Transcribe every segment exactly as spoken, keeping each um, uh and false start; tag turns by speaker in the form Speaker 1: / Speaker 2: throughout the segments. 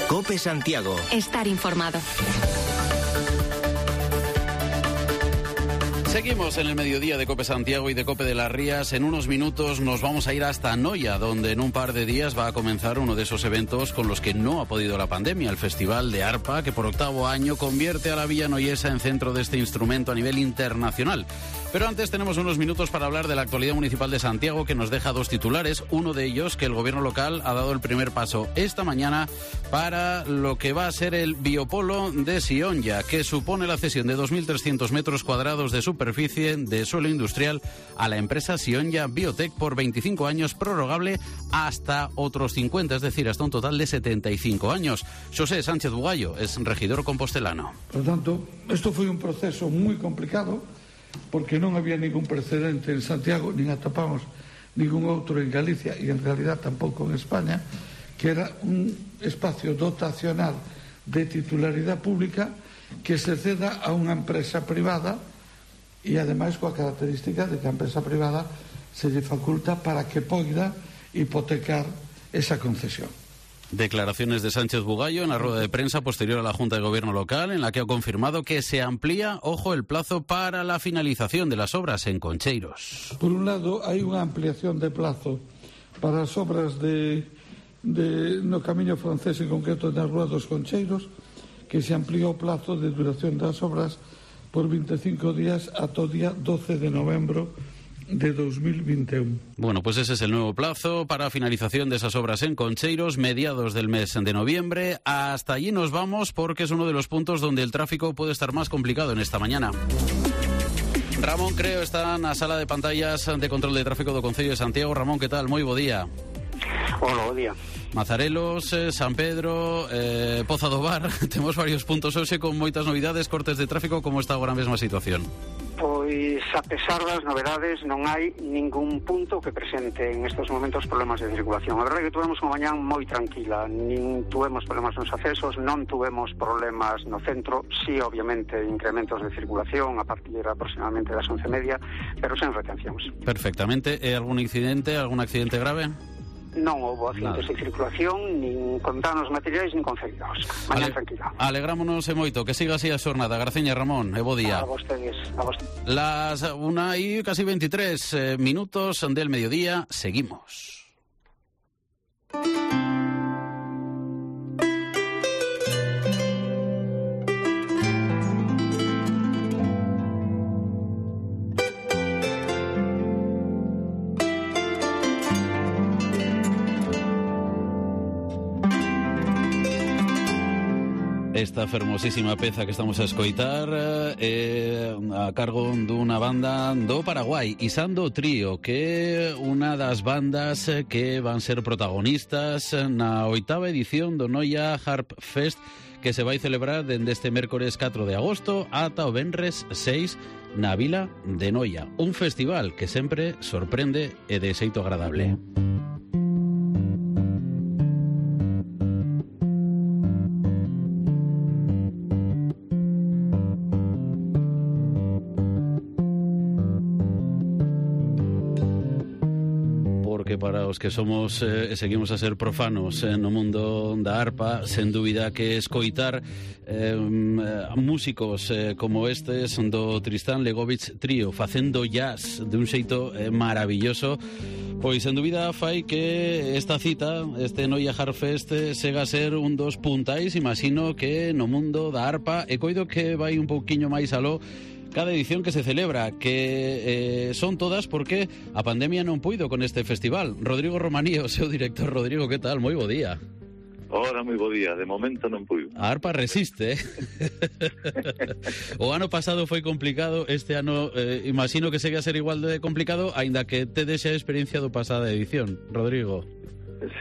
Speaker 1: COPE Santiago.
Speaker 2: Estar informado.
Speaker 3: Seguimos en el mediodía de COPE Santiago y de COPE de las Rías. En unos minutos nos vamos a ir hasta Noia, donde en un par de días va a comenzar uno de esos eventos con los que no ha podido la pandemia, el Festival de Arpa, que por octavo año convierte a la Villa Noiesa en centro de este instrumento a nivel internacional. Pero antes tenemos unos minutos para hablar de la actualidad municipal de Santiago, que nos deja dos titulares. Uno de ellos, que el gobierno local ha dado el primer paso esta mañana para lo que va a ser el biopolo de Sionja, que supone la cesión de dos mil trescientos metros cuadrados de superficie de suelo industrial a la empresa Sionja Biotech por veinticinco años, prorrogable hasta otros cincuenta, es decir, hasta un total de setenta y cinco años. José Sánchez Bugallo es regidor compostelano.
Speaker 4: Por lo tanto, esto foi un proceso moi complicado, porque non había ningún precedente en Santiago, nin atopamos ningún outro en Galicia e en realidad tampouco en España, que era un espacio dotacional de titularidade pública que se ceda a unha empresa privada e ademais coa característica de que a empresa privada se lle faculta para que poida hipotecar esa concesión.
Speaker 3: Declaraciones de Sánchez Bugallo en la rueda de prensa posterior a la Junta de Gobierno local, en la que ha confirmado que se amplía, ojo, el plazo para la finalización de las obras en Concheiros.
Speaker 4: Por un lado, hai unha ampliación de plazo para as obras de, de no Camiño Francés, en concreto na Rúa dos Concheiros, que se ampliou o plazo de duración das obras por veinticinco días ata o día doce de novembro de dos mil veintiuno.
Speaker 3: Bueno, pues ese es el nuevo plazo para finalización de esas obras en Concheiros, mediados del mes de noviembre. Hasta allí nos vamos, porque es uno de los puntos donde el tráfico puede estar más complicado en esta mañana. Ramón Creo está na sala de pantallas de control de tráfico do Concello de Santiago. Ramón, ¿qué tal? Moi bo día.
Speaker 5: Hola, bo día.
Speaker 3: Mazarelos, eh, San Pedro, eh, Poza do Bar. Temos varios puntos hoxe con moitas novidades, cortes de tráfico. Como está agora a mesma situación?
Speaker 5: Pois, a pesar das novedades, non hai ningún punto que presente en estos momentos problemas de circulación. A verdade é que tuvemos unha mañán moi tranquila, nin tuvemos problemas nos accesos, non tuvemos problemas no centro, sí, obviamente, incrementos de circulación a partir aproximadamente das once e media, pero sen retencións.
Speaker 3: Perfectamente. E algún incidente, algún accidente grave?
Speaker 5: Non houve accidentes de circulación, nin con danos materiais, nin con feridos. Mañán Ale, tranquila.
Speaker 3: Alegrámonos e moito, que siga así a xornada. Graciña, Ramón, e bo día.
Speaker 5: A vostedes, a vostedes.
Speaker 3: Las una y casi veintitrés eh, minutos del mediodía, seguimos. Esta fermosísima peza que estamos a escoitar é eh, a cargo dunha banda do Paraguai, Isando Trío, que é unha das bandas que van ser protagonistas na oitava edición do Noia Harp Fest, que se vai celebrar dende este mércores catro de agosto ata o venres seis na vila de Noia. Un festival que sempre sorprende e de xeito agradable. Para os que somos e eh, seguimos a ser profanos eh, no mundo da arpa, sen dúbida que escoitar eh, músicos eh, como estes do Tristán Legovich Trío facendo jazz de un xeito eh, maravilloso, pois sen dúbida fai que esta cita, este Noia Harp Fest, sega a ser un dos puntais, imagino, que no mundo da arpa, e coido que vai un pouquiño máis aló cada edición que se celebra, que eh, son todas porque a pandemia non puido con este festival. Rodrigo Romaní, o seu director. Rodrigo, que tal? Moi bo día.
Speaker 6: Ora, moi bo día. De momento non puido.
Speaker 3: A arpa resiste, eh? O ano pasado foi complicado, este ano eh, imagino que segue a ser igual de complicado, aínda que te deixa a experiencia do pasada edición. Rodrigo.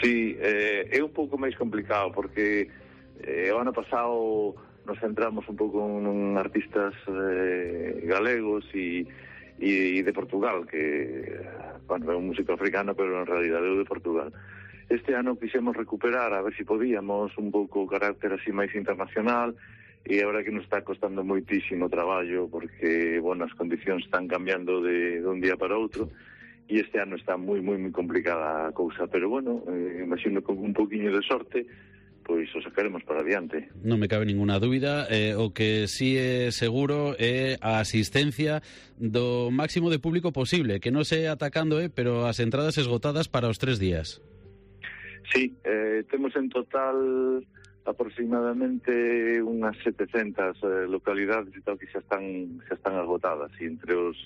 Speaker 6: Sí, eh, é un pouco máis complicado porque eh, o ano pasado nos centramos un pouco en artistas eh, galegos e, e, e de Portugal, que, bueno, é un músico africano, pero en realidade é de Portugal. Este ano quixemos recuperar, a ver se podíamos, un pouco o carácter así máis internacional, e agora que nos está costando moitísimo traballo, porque, bueno, as condicións están cambiando de, de un día para outro, e este ano está moi, moi, moi complicada a cousa, pero bueno, eh, imagino con un poquinho de sorte pois o sacaremos para adiante.
Speaker 3: Non me cabe ninguna dúbida, eh, o que sí é seguro é a asistencia do máximo de público posible, que non se atacando, eh, pero as entradas esgotadas para os tres días.
Speaker 6: Sí, eh, temos en total aproximadamente unhas setecentas eh, localidades e tal que xa están xa están agotadas, e entre os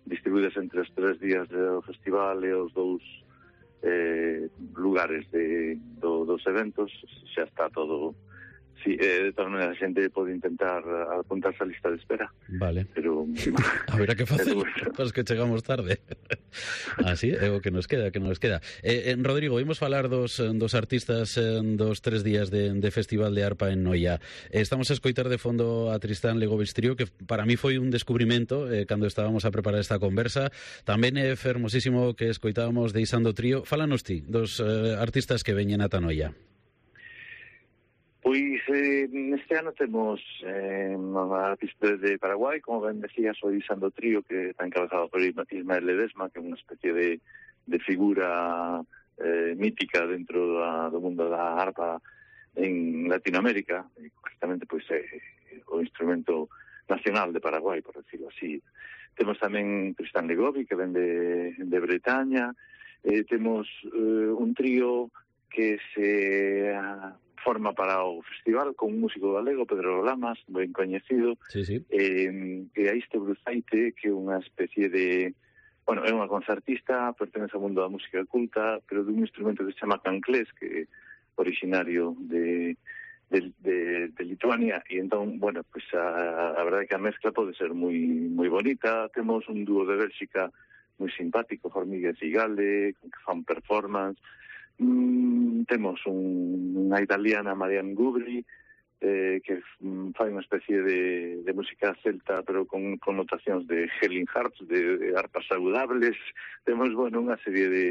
Speaker 6: distribuídas entre os tres días do festival e os dous eh, lugares de, do, dos eventos, xa está todo. Sí, eh, de todas maneras a xente pode intentar apuntarse á lista de espera.
Speaker 3: Vale.
Speaker 6: Pero
Speaker 3: haberá que facer para que chegamos tarde. Así é o que nos queda, que nos queda. Eh, en Rodrigo, imos falar dos, dos artistas dos tres días de, de Festival de Arpa en Noia. Eh, estamos a escoitar de fondo a Tristán Legovich Trío, que para mí foi un descubrimento eh, cando estábamos a preparar esta conversa. Tamén é fermosísimo que escoitábamos de Isando Trío. Fálanos ti dos eh, artistas que veñen ata Noia.
Speaker 6: Pois eh, este ano temos eh, unha artista de Paraguai, como ben decía, soy Isando Trío, que está encabezado por Ismael Ledesma, que é unha especie de, de figura eh, mítica dentro da, do mundo da arpa en Latinoamérica, e justamente pois é o instrumento nacional de Paraguai, por decirlo así. Temos tamén Tristán Legovich, que ven de, de Bretaña, eh, temos eh, un trío que se uh, forma para o festival con un músico galego, Pedro Lamas, ben coñecido,
Speaker 3: sí, sí.
Speaker 6: Eh, e a Iste Bruzaite, que é unha especie de... Bueno, é unha concertista, pertenece ao mundo da música culta, pero dun instrumento que se chama canclés, que é originario de, de, de, de Lituania, e entón, bueno, pues a, a verdade é que a mezcla pode ser moi moi bonita. Temos un dúo de Bélxica moi simpático, Formigues e Gale, que fan performance. Mm, temos un, unha italiana, Marianne Gubri, eh, que mm, fai unha especie de, de música celta, pero con connotacións de Helen Harps, de, de arpas saudables. Temos, bueno, unha serie de...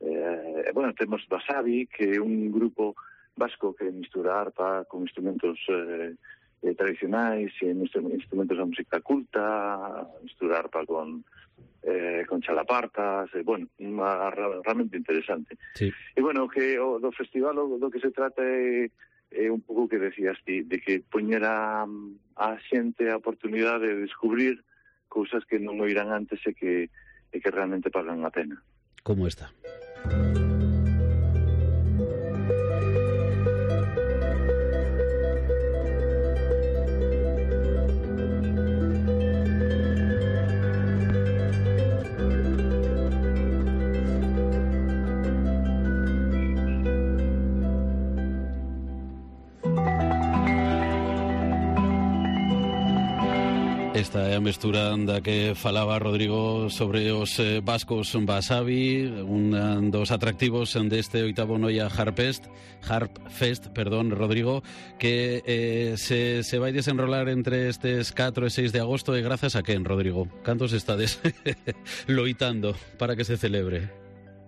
Speaker 6: Eh, bueno, temos Wasabi, que é un grupo vasco que mistura arpa con instrumentos eh, eh, tradicionais, e instrumentos da música culta, mistura arpa con... Eh, con chalapartas, eh, bueno, uma, realmente interesante.
Speaker 3: Sí.
Speaker 6: E bueno, que o, do festival o, do que se trata é, é un pouco que decías ti, de que poñera a xente a oportunidade de descubrir cousas que non oirán antes e que, e que realmente pagan a pena.
Speaker 3: Como esta. Esta é a mestura da que falaba Rodrigo sobre os eh, vascos Wasabi, un dos atractivos deste oitavo Noia Harpfest, Harpfest, perdón, Rodrigo, que eh, se, se vai desenrolar entre estes catro e seis de agosto, e grazas a quen, Rodrigo? Cantos estades loitando para que se celebre?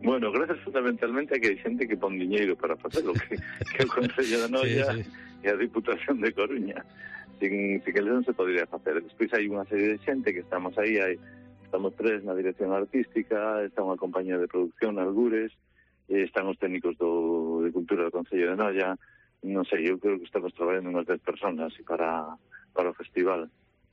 Speaker 6: Bueno, gracias fundamentalmente a que hai xente que pon diñeiro para facelo, que, que o Concello de Noia sí, sí. e a Diputación de Coruña. Sin, sin que non se podría facer. Despois hai unha serie de xente que estamos aí, hai, estamos tres na dirección artística, está unha compañía de producción, Algures, e están os técnicos do, de Cultura do Concello de Noia. Non sei, eu creo que estamos traballando unhas dez personas para, para o festival.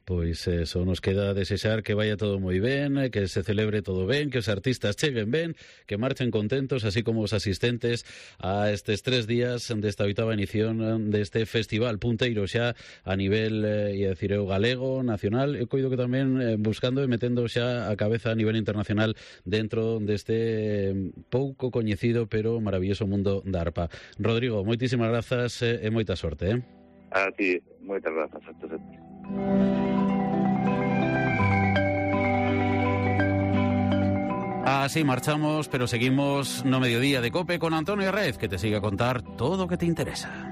Speaker 3: Pois eso, nos queda desexar que vaya todo moi ben, que se celebre todo ben, que os artistas cheguen ben, que marchen contentos, así como os asistentes a estes tres días desta oitava edición deste festival punteiro xa a nivel, eh, ia decir eu, galego, nacional, e coido que tamén eh, buscando e metendo xa a cabeza a nivel internacional dentro deste pouco coñecido pero maravilloso mundo da arpa. Rodrigo, moitísimas grazas e moita sorte, eh?
Speaker 6: A ti, moitas grazas a todos.
Speaker 3: Así marchamos, pero seguimos no mediodía de COPE con Antonio Herrez, que te sigue a contar todo lo que te interesa.